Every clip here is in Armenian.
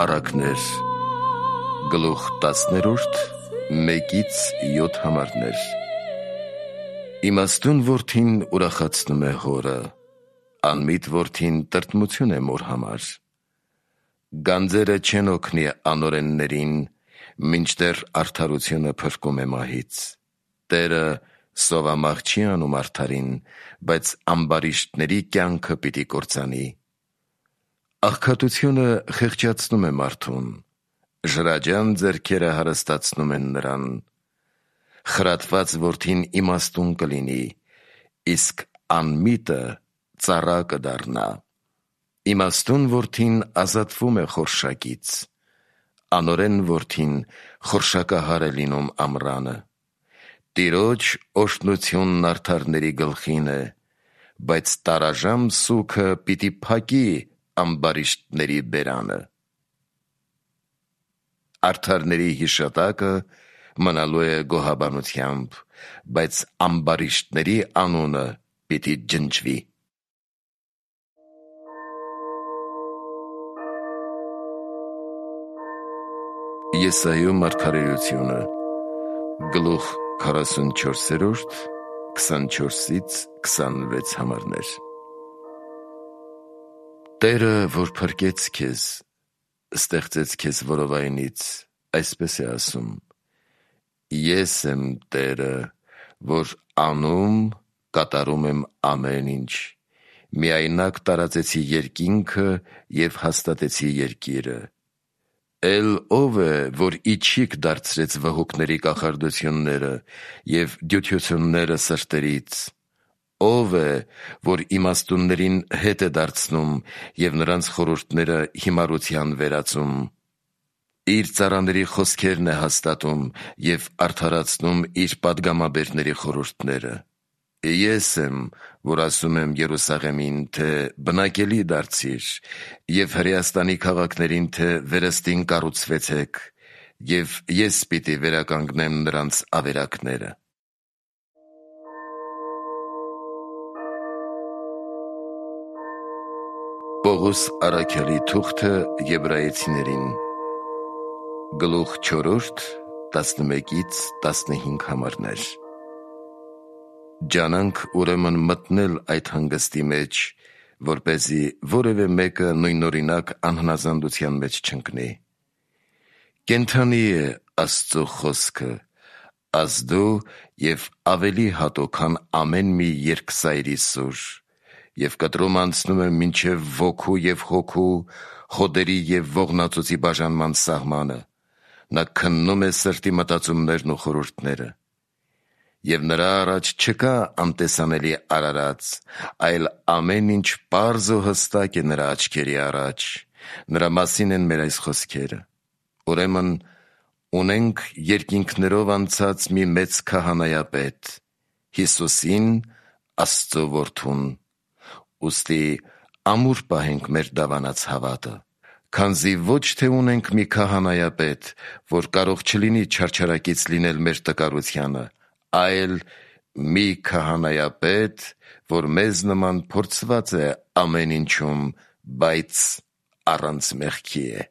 Առակներ գլուխ 10 1-7 համարներ։ Իմաստուն որդին ուրախացնում է հորը, անմիտ որդին տրտմություն է մոր համար։ Գանձերը չեն օգնի անօրեններին, մինչդեռ արդարությունը փրկում է մահից։ Տերը սովամահ չի անում արդարին, բայց ամբարիշտների կյանքը պիտի կործանի։ Աղքատությունը խեղճացնում է մարդուն, ժրաջան ձեռքերը հարստացնում են նրան։ Խրատված որդին իմաստուն կլինի, իսկ անմիտը ծառա կդառնա։ Իմաստուն որդին ազատվում է խորշակից, անօրեն որդին խորշակահար է լինում ամռանը։ Տիրոջ օրհնությունն արդարների գլխին է, բայց տարաժամ սուգը պիտի փակի ամբարիշտների բերանը։ Արդարների հիշատակը մնալու է գոհաբանությամբ, բայց ամբարիշտների անունը պիտի ջնջվի։ Եսայու մարգարեությունը գլուխ 44 24-26 համարներ։ Տերը, որ փրկեց քեզ, ստեղծեց քեզ որովայնից, այսպես է ասում. Ես եմ Տերը, որ անում, կատարում եմ ամեն ինչ, միայնակ տարածեցի երկինքը և հաստատեցի երկիրը։ Էլ ով է, որ իջիկ դարձրեց վհուկների կախարդությունները և դյությությունները սրտերից։ Ով է, որ իմաստուններին հետ է դարձնում և նրանց խորհուրդները հիմարության վերածում։ Իր ծառաների խոսքերն է հաստատում և արդարացնում իր պատգամաբերների խորհուրդները։ Ես եմ, որ ասում եմ Երուսաղեմին, թե բնակելի դարձիր, և Հրեաստանի քաղաքներին, թե վերստին կառուցվեցեք, և ես պիտի վերականգնեմ նրանց ավերակները։ Պողոս առաքյալի թուղթը Եբրայեցիներին գլուխ 4 11-15 համարներ։ Ջանանք ուրեմն մտնել այդ հանգստի մեջ, որպեսզի որևէ մեկը նույնօրինակ անհնազանդության մեջ չընկնի։ Կենդանի է Աստծո խոսքը, ազդու և ավելի հատուկ, քան ամեն մի երկսայրի սուր, և կտրում անցնում է մինչև ոգու և հոգու, հոդերի և ողնածոցի բաժանման սահմանը, նա քննում է սրտի մտածումներն ու խորհուրդները։ Եվ նրա առաջ չկա անտեսանելի արարած, այլ ամեն ինչ պարզ ու հստակ է նրա աչքերի առաջ։ Նրա մասին են մեր այս խոսքերը։ Ուրեմն ունենք երկինքներով անցած մի մեծ քահանայապետ, Հիսուսին, Աստծո որդուն։ Ուստի ամուր պահենք մեր դավանած հավատը, քանզի ոչ թե ունենք մի քահանայապետ, որ կարող չլինի չարչարակից լինել մեր տկարությանը, այլ մի քահանայապետ, որ մեզ նման փորձված է ամեն ինչում, բայց առանց մեղքի է։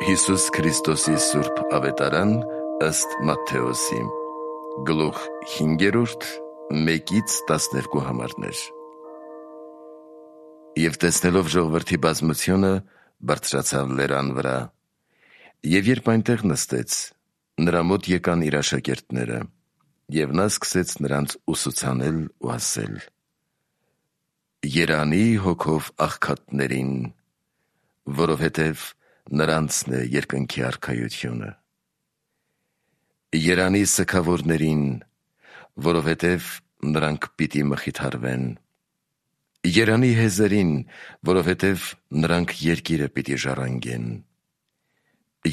Հիսուս Քրիստոսի սուրբ ավետարան ըստ Մատթեոսի գլուխ 5 1-12 համարներ։ Եվ տեսնելով ժողովրդի բազմությունը, բարձրացավ լերան վրա, և երբ այնտեղ նստեց, նրա մոտ եկան իր աշակերտները, և նա սկսեց նրանց ուսուցանել ու ասել. Երանի հոգով աղքատներին, որովհետև նրանցն է երկնքի արքայությունը։ Երանի սգավորներին, որովհետև նրանք պիտի մխիթարվեն։ Երանի հեզերին, որովհետև նրանք երկիրը պիտի ժառանգեն։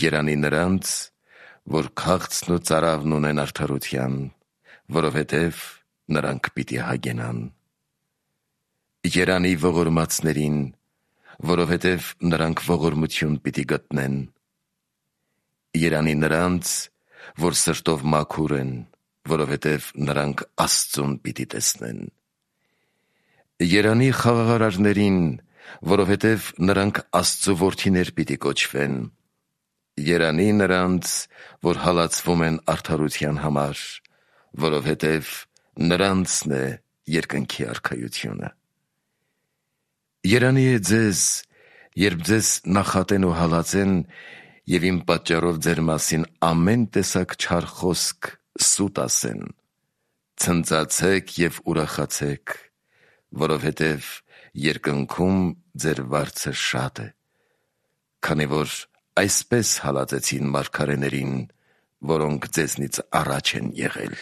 Երանի նրանց, որ քաղցն ու ծարավն ունեն արդարության, որովհետև նրանք պիտի հագենան։ Երանի ողորմածներին, որովհետև նրանք ողորմություն պիտի գտնեն։ Երանի նրանց, որ սրտով մաքուր են, որովհետև նրանք Աստծուն պիտի տեսնեն։ Երանի խաղաղարարներին, որովհետև նրանք Աստծու որդիներ պիտի կոչվեն։ Երանի նրանց, որ հալածվում են արդարության համար, որովհետև նրանցն է երկնքի արքայությունը։ Երանի է ձեզ, երբ ձեզ նախատեն ու հալածեն և իմ պատճառով ձեր մասին ամեն տեսակ չար խոսք սուտ ասեն, ցնծացեք և ուրախացեք, որովհետև երկնքում ձեր վարձը շատ է, քանի որ այսպես հալածեցին մարգարեներին, որոնք ձեզնից առաջ են եղել։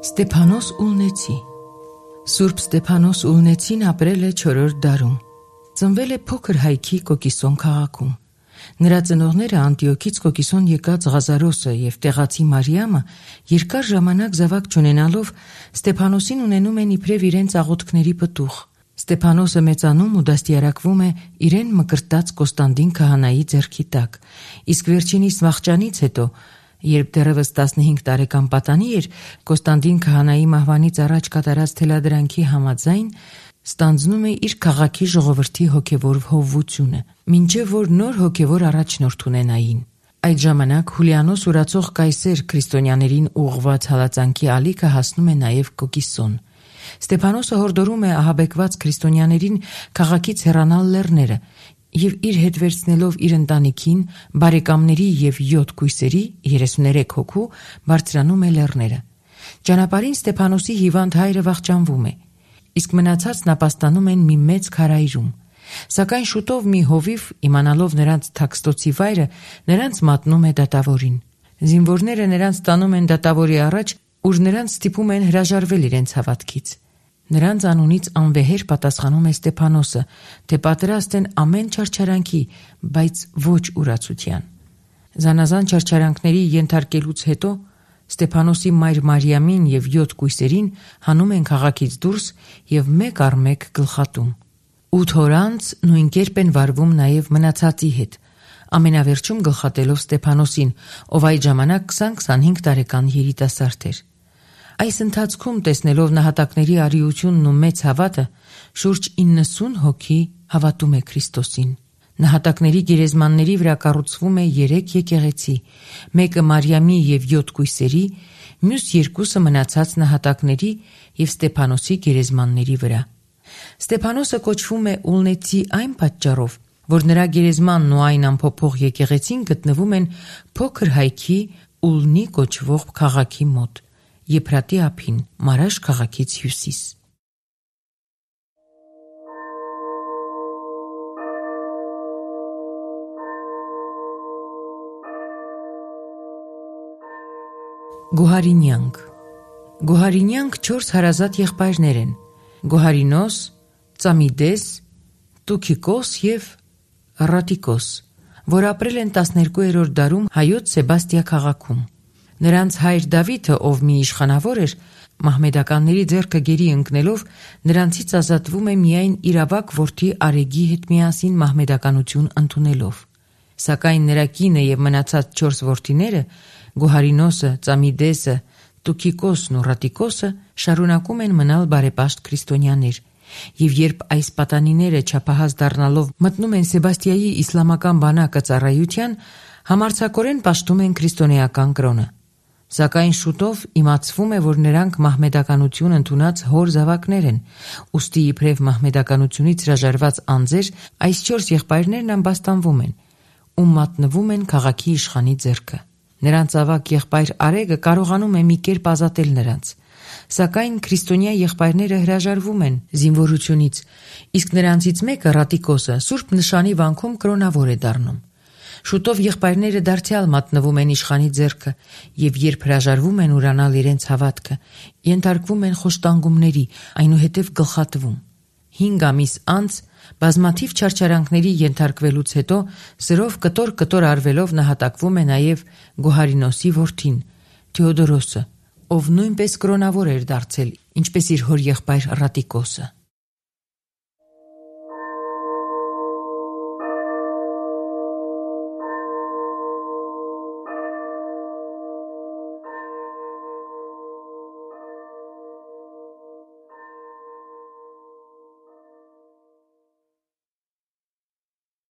Ստեփանոս Ուլնեցի Սուրբ Ստեփանոս Ուլնեցին ապրել է 4-րդ դարում։ Ծնվել է փոքր հայքի Կոկիսոն քաղաքում։ Նրա ծնողները Անտիոքից Կոկիսոն եկած Ղազարոսը և տեղացի Մարիամը երկար ժամանակ զավակ չունենալով Ստեփանոսին ունենում են իբրև իրենց աղոթքների պտուղ։ Ստեփանոսը մեծանում ու դաստիարակվում է իրեն մկրտած Կոստանդին քահանայի ձեռքի տակ, իսկ վերջինիս վախճանից հետո, երբ դեռևս 15 տարեկան պատանի էր, Կոստանդին քահանայի մահվանից առաջ կատարած թելադրանքի համաձայն ստանձնում է իր քաղաքի ժողովրդի հոգևոր հովվությունը, մինչև որ նոր հոգևոր առաջնորդ ունենային։ Այդ ժամանակ Հուլիանոս ուրացող կայսեր քրիստոնյաներին ուղղված հալածանքի ալիքը հասնում է նաև Կոկիսոն։ Ստեփանոսը հորդորում է ահաբեկված քրիստոնյաներին քաղաքից հեռանալ լեռները և իր հետ վերցնելով իր ընտանիքին, բարեկամների և 7 կույսերի 33 հոգու բարձրանում է լեռները։ Ճանապարհին Ստեփանոսի հիվանդ հայրը վախճանվում է, իսկ մնացածն ապաստանում են մի մեծ քարայրում։ Սակայն շուտով մի հովիվ, իմանալով նրանց թաքստոցի վայրը, նրանց մատնում է դատավորին։ Զինվորները նրանց տանում են դատավորի առաջ, ուր նրանց ստիպում են հրաժարվել իրենց հավատքից։ Նրանց անունից անվեհեր պատասխանում է Ստեփանոսը, թե պատրաստ են ամեն չարչարանքի, բայց ոչ ուրացության։ Զանազան չարչարանքների ենթարկելուց հետո Ստեփանոսի մայր Մարիամին և 7 կույսերին հանում են քաղաքից դուրս և մեկ առ մեկ գլխատում։ 8 օր անց նույն կերպ են վարվում նաև մնացածի հետ, ամենավերջում գլխատելով Ստեփանոսին, ով այդ ժամանակ 20-25 տարեկան երիտասարդ էր։ Այս ընթացքում, տեսնելով նահատակների արիությունն ու մեծ հավատը, շուրջ 90 հոգի հավատում է Քրիստոսին։ Նահատակների գերեզմանների վրա կառուցվում է 3 եկեղեցի, մեկը Մարիամի և 7 կույսերի, մյուս 2-ը մնացած նահատակների և Ստեփանոսի գերեզմանների վրա։ Ստեփանոսը կոչվում է Ուլնեցի այն պատճառով, որ նրա գերեզմանն ու այն ամփոփող եկեղեցին գտնվում են փոքր հայքի Ուլնի կոչվող քաղաքի մոտ, Եփրատի ափին, Մարաշ քաղաքից հյուսիս։ Գոհարինյանք 4 հարազատ եղբայրներ են՝ Գոհարինոս, Ծամիդես, Տուքիկոս և Ռատիկոս, որ ապրել են 12-րդ դարում հայոց Սեբաստիա քաղաքում։ Նրանց հայր Դավիթը, ով մի իշխանավոր էր, մահմեդականների ձեռքը գերի ընկնելով, նրանցից ազատվում է միայն իր ավագ որդի Արեգի հետ միասին մահմեդականություն ընդունելով։ Սակայն նրա կինը և մնացած 4 որդիները՝ Գոհարինոսը, Ծամիդեսը, Տուքիկոսն ու Ռատիկոսը, շարունակում են մնալ բարեպաշտ քրիստոնյաներ, և երբ այս պատանիները չափահաս դառնալով մտնում են Սեբաստիայի իսլամական բանակը ծառայության, համարձակորեն պաշտում են քրիստոնեական կրոնը։ Սակայն շուտով իմացվում է, որ նրանք մահմեդականություն ընդունած հոր զավակներ են, ուստի իբրև մահմեդականությունից հրաժարված անձեր այս 4 եղբայրներն ամբաստանվում են, ու մատնվում են քաղաքի իշխանի ձեռքը։ Նրանց ավագ եղբայր Արեգը կարողանում է մի կերպ ազատել նրանց, սակայն քրիստոնյա եղբայրները հրաժարվում են զինվորությունից, իսկ նրանցից մեկը, Ռատիկոսը, սուրբ նշանի վանքում կրոնավոր է դառնում։ Շուտով եղբայրները դարձյալ մատնվում են իշխանի ձեռքը և երբ հրաժարվում են ուրանալ իրենց հավատքը, ենթարկվում են խոշտանգումների, այնուհետև գլխատվում։ 5 ամիս անց, բազմաթիվ չարչարանքների ենթարկվելուց հետո, սրով կտոր արվելով նահատակվում է նաև Գոհարինոսի որդին, Թեոդորոսը, ով նույնպես կրոնավոր էր դարձել, ինչպես իր հոր եղբայր Ռատիկոսը։